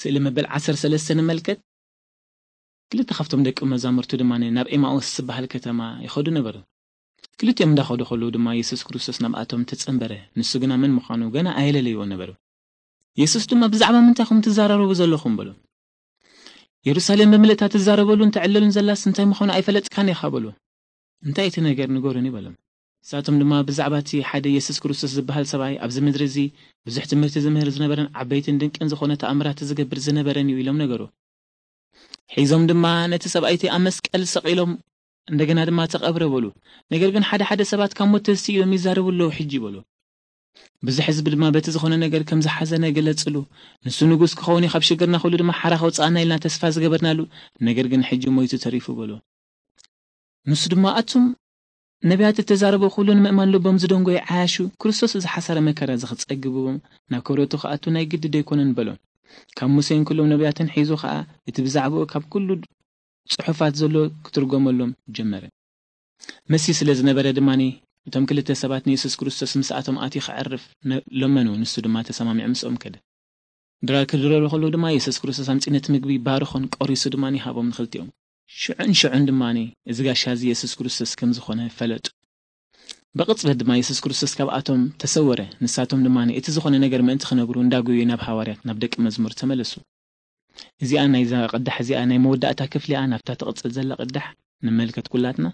ስእሊ መበል ዓሰርተ ሰለስተ ንመልከት። ክልተ ካብቶም ደቂ መዛሙርቱ ድማ ናብ ኤማኦስ ዝበሃል ከተማ ይኸዱ ነበሩ። ክልቲኦም እንዳኸዱ ከለዉ ድማ የሱስ ክርስቶስ ናብኣቶም ተጸንበረ። ንሱ ግና መን ምዃኑ ገና ኣየለለይዎ ነበሩ። የሱስ ድማ፣ "ብዛዕባ ምንታይ ኢኹም ትዛራረቡ ዘለኹም?" በሉ። "የሩሳሌም ብምልእታ ትዛረበሉን ትዕለሉን ዘላስ እንታይ ምዃኑ ኣይፈለጥካን ኢኻ?" በሉ። "እንታይ እቲ ነገር ንገሩኒ?" በሎም። ንሳቶም ድማ፣ "ብዛዕባ እቲ ሓደ የሱስ ክርስቶስ ዝበሃል ሰብኣይ ኣብዚ ምድሪ እዚ ብዙሕ ትምህርቲ ዝምህር ዝነበረን ዓበይትን ድንቅን ዝኾነ ተኣምራት ዝገብር ዝነበረን እዩ" ኢሎም ነገሩ። ሒዞም ድማ፣ "ነቲ ሰብኣይ እቲ ኣብ መስቀል ሰቒሎም፣ እንደገና ድማ ተቐብረ" በሉ። ነገር ግን ሓደ ሓደ ሰባት ካብ ሞት ተንስኡ እዮም ይዛረቡ ኣለዉ ሕጂ በሉ። ብዙሕ ህዝቢ ድማ በቲ ዝኾነ ነገር ከም ዝሓዘነ ገለጽሉ። "ንሱ ንጉስ ክኸውን እዩ፣ ካብ ሽግርና ኩሉ ድማ ሓራ ከውጽኣና ኢልና ተስፋ ዝገበርናሉ፣ ነገር ግን ሕጂ ሞይቱ ተሪፉ" በሉ። ንሱ ድማ፣ "ኣቱም ነቢያት እተዛረቡ ኩሉ ንምእማን ልቦም ዝደንጎዩ ዓያሹ፣ ክርስቶስ እዚ ሓሳረ መከራ እዚ ክጸግብዎም ናብ ክብረቱ ክኣቱ ናይ ግዲ ዶ ኣይኮነን?" በሎም። ካብ ሙሴን ኩሎም ነቢያትን ሒዙ ኸኣ እቲ ብዛዕባኡ ካብ ኩሉ ጽሑፋት ዘሎ ክትርጎመሎም ጀመረ። መሲህ ስለ ዝነበረ ድማ እቶም ክልተ ሰባት ንየሱስ ክርስቶስ ምስኣቶም ኣትዩ ክዕርፍ ነ-፣ ለመኑ። ንሱ ድማ ተሰማሚዑ ምስኦም ከደ። ድራር ክድረሩ ከለዉ ድማ የሱስ ክርስቶስ ኣምጺኡ ነቲ ምግቢ ባርኾን ቆሪሱ ድማ ይሃቦም ንኽልቲኦም። ሽዑን ሽዑን ድማ እዚ ጋሻ እዚ የሱስ ክርስቶስ ከም ዝኾነ ፈለጡ። ብቕጽበት ድማ የሱስ ክርስቶስ ካብኣቶም ተሰወረ። ንሳቶም ድማ እቲ ዝኾነ ነገር ምእንቲ ክነግሩ እንዳጎዩ ናብ ሃዋርያት፣ ናብ ደቂ መዝሙር ተመለሱ። እዚኣ ናይዛ ቅዳሕ እዚኣ ናይ መወዳእታ ክፍሊ እያ። ናብታ ትቕጽል ዘላ ቅዳሕ ንመልከት ኩላትና።